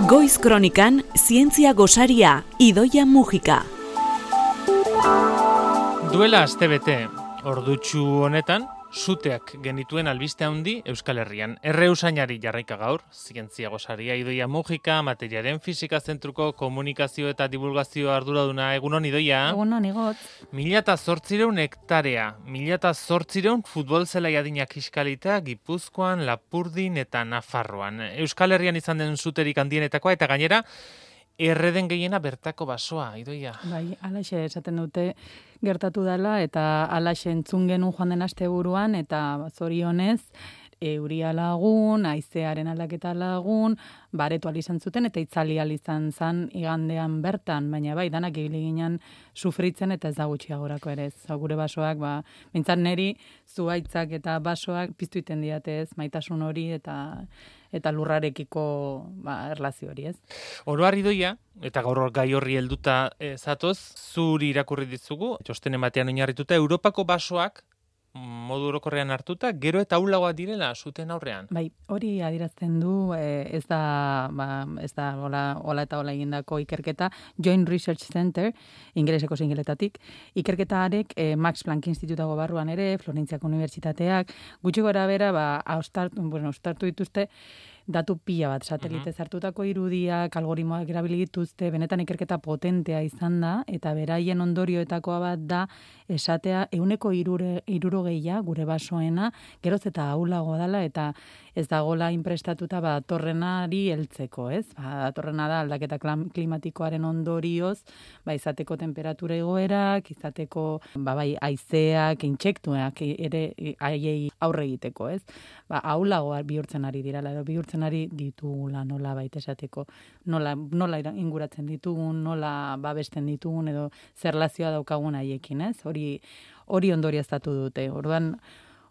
Goiz Kronikan, zientzia gosaria, Idoia Mujika. Duela astebete, ordutsu honetan, suteak genituen albiste handi Euskal Herrian. Usainari jarraika gaur, zientzia gosaria Idoia Mujika, materiaren fisika zentruko komunikazio eta divulgazio arduraduna. Egunon, Idoia? Egunon, Igot. 1.800 hektarea, 1.800 futbol zelai adinak kiskalita Gipuzkoan, Lapurdin eta Nafarroan. Euskal Herrian izan den suterik handienetakoa eta gainera, erreden gehiena bertako basoa, Idoia. Bai, alaxe esaten dute gertatu dela eta alaxe entzun genuen joan den asteburuan eta zorionez euria lagun, haizearen aldaketa lagun, baretu izan zuten eta itzali izan zan igandean bertan, baina bai, danak ibili ginen sufritzen eta ez da gutxiagorako ere ez. Gure basoak, bintzat neri zuhaitzak eta basoak piztu iten diatez, maitasun hori eta lurrarekiko erlazio hori, ez? Oroar, Idoia, eta gaur gai horri helduta zatoz, zuri irakurri dizugu, txostenen batean oinarrituta, Europako basoak modu orokorrean hartuta, gero eta ahulagoa direla zuten aurrean. Bai, hori adierazten du, ez da hola eta hola egindako ikerketa, Joint Research Center, ingeleseko zingiletatik, ikerketaarek Max Planck Institutago barruan ere, Florentziako Unibertsitateak, gutxi gora bera, ostartu dituzte, datu pila bat, satelitez hartutako irudiak, algoritmoak erabili dituzte, benetan ikerketa potentea izan da, eta beraien ondorioetakoa bat da, esatea, 160 gure basoena, geroz eta ahulago dela, eta ez dagoela inprestatuta datorrenari heltzeko, ez? Datorrena da aldaketa klimatikoaren ondorioz, izateko temperatura igoerak, izateko haizeak, intsektuak ere haiei aurre egiteko, ez? Ahulago bihurtzen ari direla, edo bihurtzen ari ditugula nola baita esateko, nola inguratzen ditugun, nola babesten ditugun, edo zer relazioa daukagun haiekin, ez? Hori ondorioztatu dute. Orduan,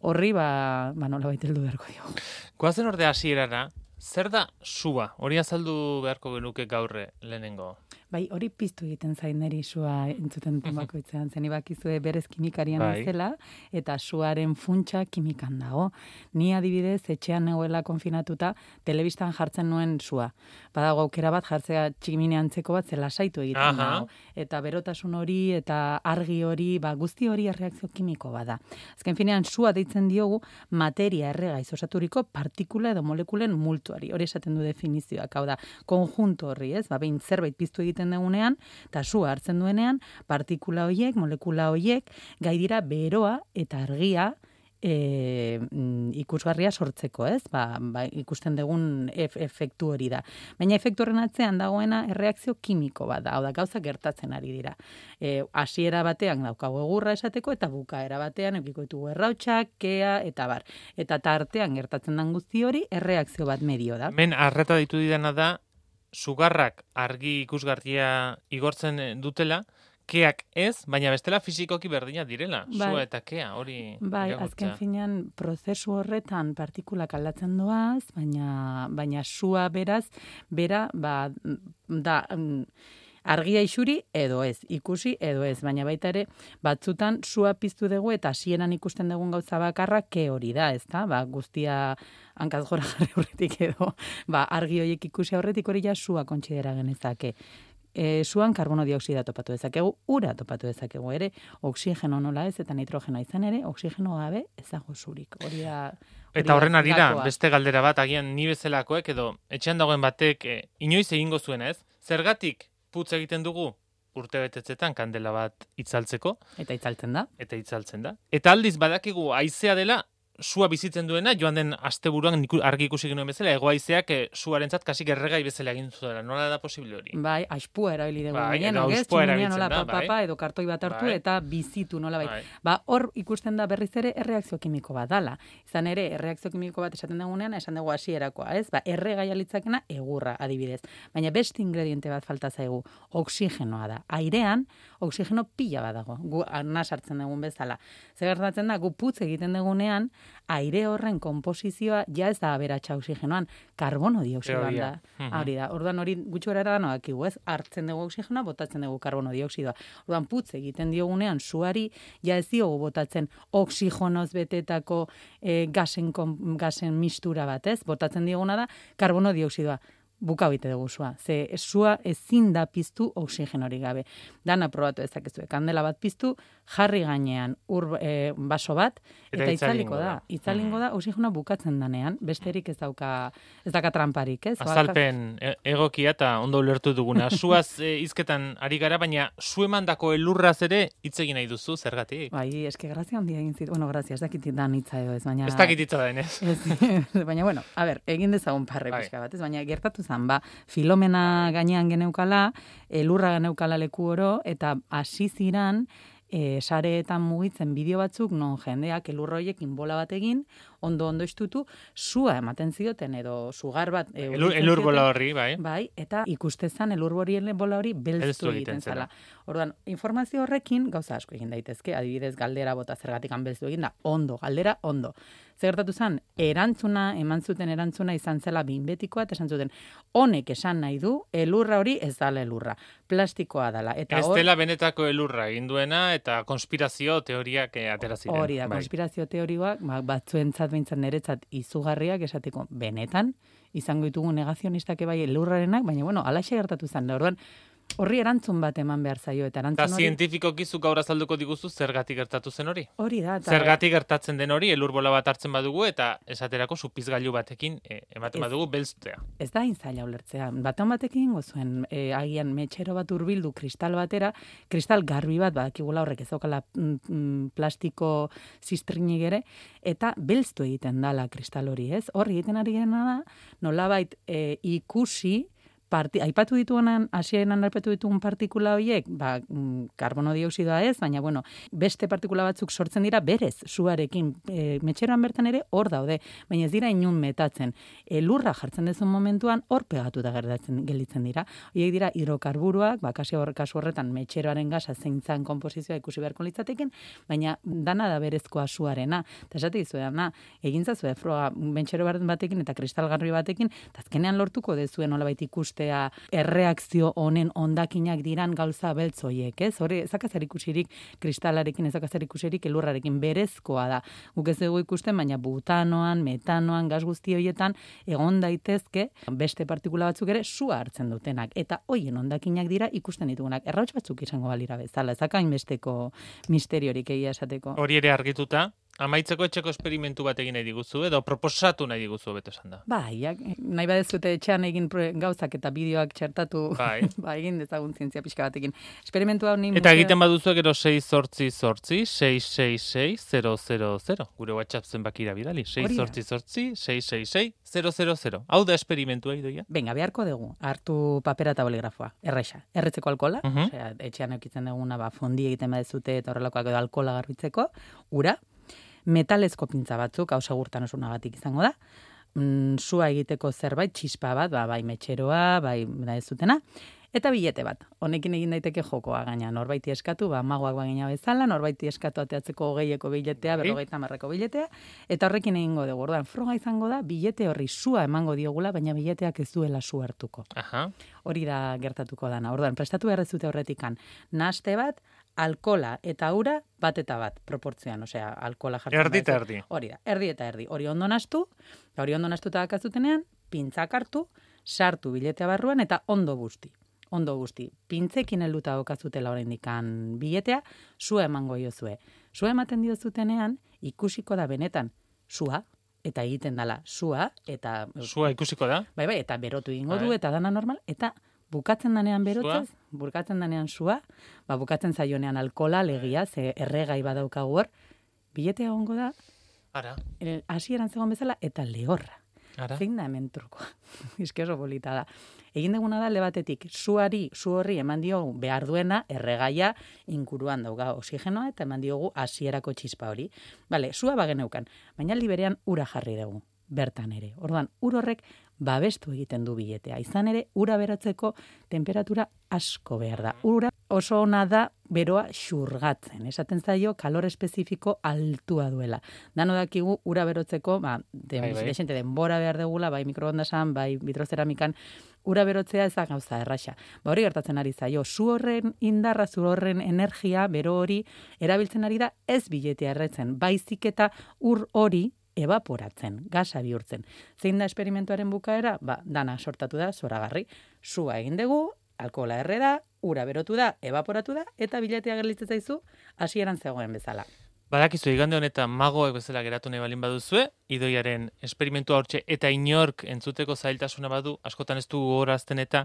horri, nola baita heldu beharko diogu. Goazen orde hasierara, zer da sua? Hori azaldu beharko genuke gaurre lehenengo. Bai, hori piztu egiten zain neri sua entzuten bakoitzean. Zen ibakizue berez kimikarian bezala, eta suaren funtsa kimikan dago. Ni adibidez, etxean negoela konfinatuta, telebistan jartzen nuen sua. Badago aukera bat jartzea tximine antzeko bat zela saitu egiten dago. Eta berotasun hori, eta argi hori, guzti hori erreakzio kimiko bada. Azken finean, sua deitzen diogu materia erregaiz osaturiko partikula edo molekulen multuari. Hori esaten du definizioak, hau da, konjunto horri, ez? Behin zerbait piztu egiten dugunean, eta sua hartzen duenean, partikula horiek, molekula horiek, gai dira beroa eta argia ikusgarria sortzeko, ez? Ikusten dugun efektu hori da. Baina efektu horren atzean dagoena erreakzio kimiko bat da, hau da, gauza gertatzen ari dira. Hasiera batean daukago egurra esateko, eta bukaera batean edukiko ditugu errautsak, kea, eta bar. Eta tartean gertatzen den guzti hori, erreakzio bat medio da. Men, arreta ditu didana da, sugarrak argi ikusgarria igortzen dutela, keak ez, baina bestela fizikoki berdina direla, sua eta kea, hori igortzea. Azken finean, prozesu horretan partikulak aldatzen doaz, baina sua bera da argia isuri edo ez, ikusi edo ez, baina baita ere, batzutan sua piztu dugu eta hasieran ikusten dugun gauza bakarra ke hori da, ez da? Guztia hankaz gora jarri horretik edo, argi horiek ikusi horretik hori ja sua kontsidera genezake. Suan karbono dioksida topatu dezakegu, ura topatu dezakegu ere, oksigeno nola ez eta nitrogenoa izan ere, oksigeno gabe ez dago zurik. Eta horren arira, beste galdera bat, agian ni bezalakoek edo etxean dagoen batek inoiz egingo zuena ez? Zergatik putz egiten dugu urtebetetzetan kandela bat itzaltzeko. Eta itzaltzen da. Eta aldiz badakigu haizea dela, sua bizitzen duena, joan den asteburuan argi ikusi genuen bezala, haizeak suarentzat kasik erregai bezala egin zuela. Nola da posible hori? Bai, aispua erabili dugu. Aispua erabiltzen da, edo kartoi bat hartu eta bizitu nola bai. Hor ikusten da berriz ere erreakzio kimiko bat dala. Izan ere, erreakzio kimiko bat esaten dugunean, esan dugu hasierakoa, ez? Erregai alitzakena egurra adibidez. Baina beste ingrediente bat falta zaigu, oksigenoa da. Airean, oksigeno pila bat dago. Gu arnaz hartzen dugun bezala. Zer gertatzen da, gu putz egiten dugunean, aire horren konposizioa ja ez da aberatsa oksigenoan, karbono dioksidoan da. Hori da. Orduan hori gutxi gorara da nodakigu, ez? Hartzen dugu oksigenoa, botatzen dugu karbono dioksidoa. Orduan putz egiten diogunean suari ja ez diogu botatzen oksigonoz betetako gasen mistura bat, ez? Botatzen dioguna da karbono dioksidoa. buka bite dugu sua. Ze sua ezin da piztu oxigenorik gabe. Dana probatu dezakezue. Kandela bat piztu, jarri gainean baso bat, eta itzaliko da. Itzalingo da, oxigenoa bukatzen danean, besterik ez daka tramparik, ez? Azalpen egokia eta ondo ulertu duguna. Suaz hizketan ari gara, baina su emandako elurraz ere hitz egin nahi duzu, zergatik? Bai, eske grazia handia egin zit. Bueno, grazia, ez dakit dan hitza edo ez, baina... Ez dakit hitza da, ez? Baina, bueno, a ber, egin dezagun parre pixka bat, ez? Baina gertatu zen, Filomena gainean geneukala, elurra geneukala leku oro, eta hasi ziran, sareetan mugitzen bideo batzuk, non jendeak elurroiekin bola bat egin, ondo istutu, sua ematen zioten, edo sugar bat... Elur bola horri, bai. Bai, eta ikustezan elur bola hori belztu egiten zela. Orduan, informazio horrekin, gauza asko egin daitezke, adibidez galdera bota zergatikan belztu egin da, galdera, ondo. Zertatu zen, eman zuten erantzuna izan zela behinbetikoa, eta esan zuten, honek esan nahi du, elurra hori ez dala elurra, plastikoa dala. Eta ez dela benetako elurra egin duena, eta konspirazio teoriak atera ziren. Hori da, konspirazio teorioak, batzuentzat behintzat niretzat izugarriak esateko benetan, izango ditugu negazionistak bai elurrarenak, baina bueno, alaxe gertatu zen, orduan, horri erantzun bat eman behar zaio, eta erantzun hori... Eta zientifikoki zuk gaur azalduko diguzu zergatik gertatu zen hori? Hori da. Zergatik gertatzen den hori, elur bola bat hartzen badugu, eta esaterako supizgailu batekin ematen badugu belztea. Ez da zaila ulertzea. Batean batekin gozuen, agian metxero bat hurbildu kristal batera, kristal garbi bat, badakigula horrek ez daukala plastiko ziztrinik ere, eta belztu egiten dala kristal hori, ez? Horri egiten ari gena da, nolabait ikusi, aipatu ditugunan, hasieran aipatu ditugun partikula horiek, karbono dioxidoa ez, baina bueno, beste partikula batzuk sortzen dira berez, suarekin, metxeroan bertan ere hor daude, baina ez dira inun metatzen. Elurra jartzen dezun momentuan hor pegatu da gelditzen dira. Horiek dira hidrokarburoak, kasu horretan metxeroaren gasa zeintzan konposizioa ikusi beharko litzatekin, baina dana da berezkoa suarena. Eta esate dizuena, egintzazue froga metxero batekin eta kristalgarri batekin, eta azkenean lortuko dezuen nolabait ikuste erreakzio honen ondakinak diran gauza beltz horiek, ez? Hori, ezakazer ikusirik kristalarekin, ezakazer ikusirik elurrarekin berezkoa da. Guk ez dugu ikusten, baina butanoan, metanoan, gas guzti horietan egon daitezke beste partikula batzuk ere sua hartzen dutenak. Eta hoien ondakinak dira ikusten ditugunak. Errauts batzuk izango balira bezala, ezakain besteko misteriorik egia esateko. Hori ere argituta, amaitzeko etxeko esperimentu bat egin nahi diguzu, edo proposatu nahi diguzu, beto esan da. Bai, nahi badezute etxean egin gauzak eta bideoak txertatu, egin dezagun zientzia pixka batekin. Esperimentu hau ni... Eta egiten baduzu gero 688-666-000, gure WhatsApp zenbakira bidali, 688-666-000. Hau da esperimentua idoia? Venga, beharko dugu, hartu papera eta boligrafoa, erresa. Erretzeko alkola, osea, etxean eukitzen duguna, fondi egiten badezute eta horrelakoak edo alkola garbitzeko, ura, metalezko pintza batzuk, hau segurtasunagatik izango da, sua egiteko zerbait, txispa bat, bai metxeroa, bai da ez dutena, eta bilete bat. Honekin egin daiteke jokoa gaina, norbaiti eskatu, magoak bagina bezala, norbaiti eskatu ateatzeko 20eko biletea, 50eko biletea, eta horrekin egingo dugu. Orduan, froga izango da, bilete horri sua emango diogula, baina bileteak ez duela su hartuko. Hori da gertatuko dana. Orduan, prestatu behar zute horretikan, nahaste bat, alkola eta ura bat eta bat proportzioan, osea, alkola jartzen. Erdi eta erdi. Hori da, erdi eta erdi. Hori ondo nahastu, eta hori ondo nahastuta dakazutenean, pintzak hartu, sartu biletea barruan eta ondo guzti. Ondo guzti. Pintzekin helduta okazutela oraindikan biletea, sua emango diozue. Sua ematen diozutenean, ikusiko da benetan sua, eta egiten dala sua, eta... Sua ikusiko da? Bai, eta berotu egingo du, eta dana normal, eta... Bukatzen danean berotzez, bukatzen danean sua, bukatzen zaionean alkola, legia, ze erregai badaukagu hor, biletea egongo da, hasieran zegoen bezala, eta lehorra. Zein da hemen trukoa. Eske oso polita da. Egin duguna da lebatetik, su horri eman diogu behar duena, erregaia, inguruan dauga oxigenoa, eta eman diogu hasierako txispa hori. Bale, sua bageneukan, baina liberean ura jarri dugu, bertan ere. Orduan, ur horrek babestu egiten du biletea. Izan ere, ura berotzeko temperatura asko behar da. Ura oso ona da beroa xurgatzen. Esaten zaio, kalor espezifiko altua duela. Dano dakigu, ura berotzeko, desente denbora behar degula, bai mikroondasan, bai vitroceramikan, ura berotzea ez da gauza erraxa. Hori gertatzen ari zaio, zu horren indarra, zu horren energia, bero hori, erabiltzen ari da ez biletea erretzen. Baizik eta ur hori evaporatzen, gasa bihurtzen. Zein da esperimentuaren bukaera? Dana sortatu da, zoragarri. Sua egin dugu, alkohola erre da, ura berotu da, evaporatu da, eta bilatea gelditzen zaizu, hasieran zegoen bezala. Badakizu, igande honetan magoek bezala geratu nahi balin baduzue, Idoiaren esperimentua hortxe eta inork entzuteko zailtasuna badu, askotan ez du gogorazten eta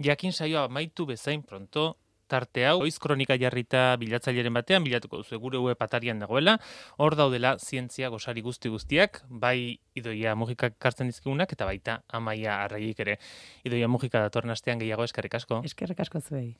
jakin saioa amaitu bezain pronto, tarte hau, oiz kronika jarrita bilatzaileren batean, bilatuko duzu gure web atarian dagoela, hor daudela zientzia gosari guztiak, bai Idoia Mugikak kartzen dizkigunak, eta baita Amaia Arregik ere. Idoia Mugika datorren astean gehiago, eskerrik asko. Eskerrik asko zuei.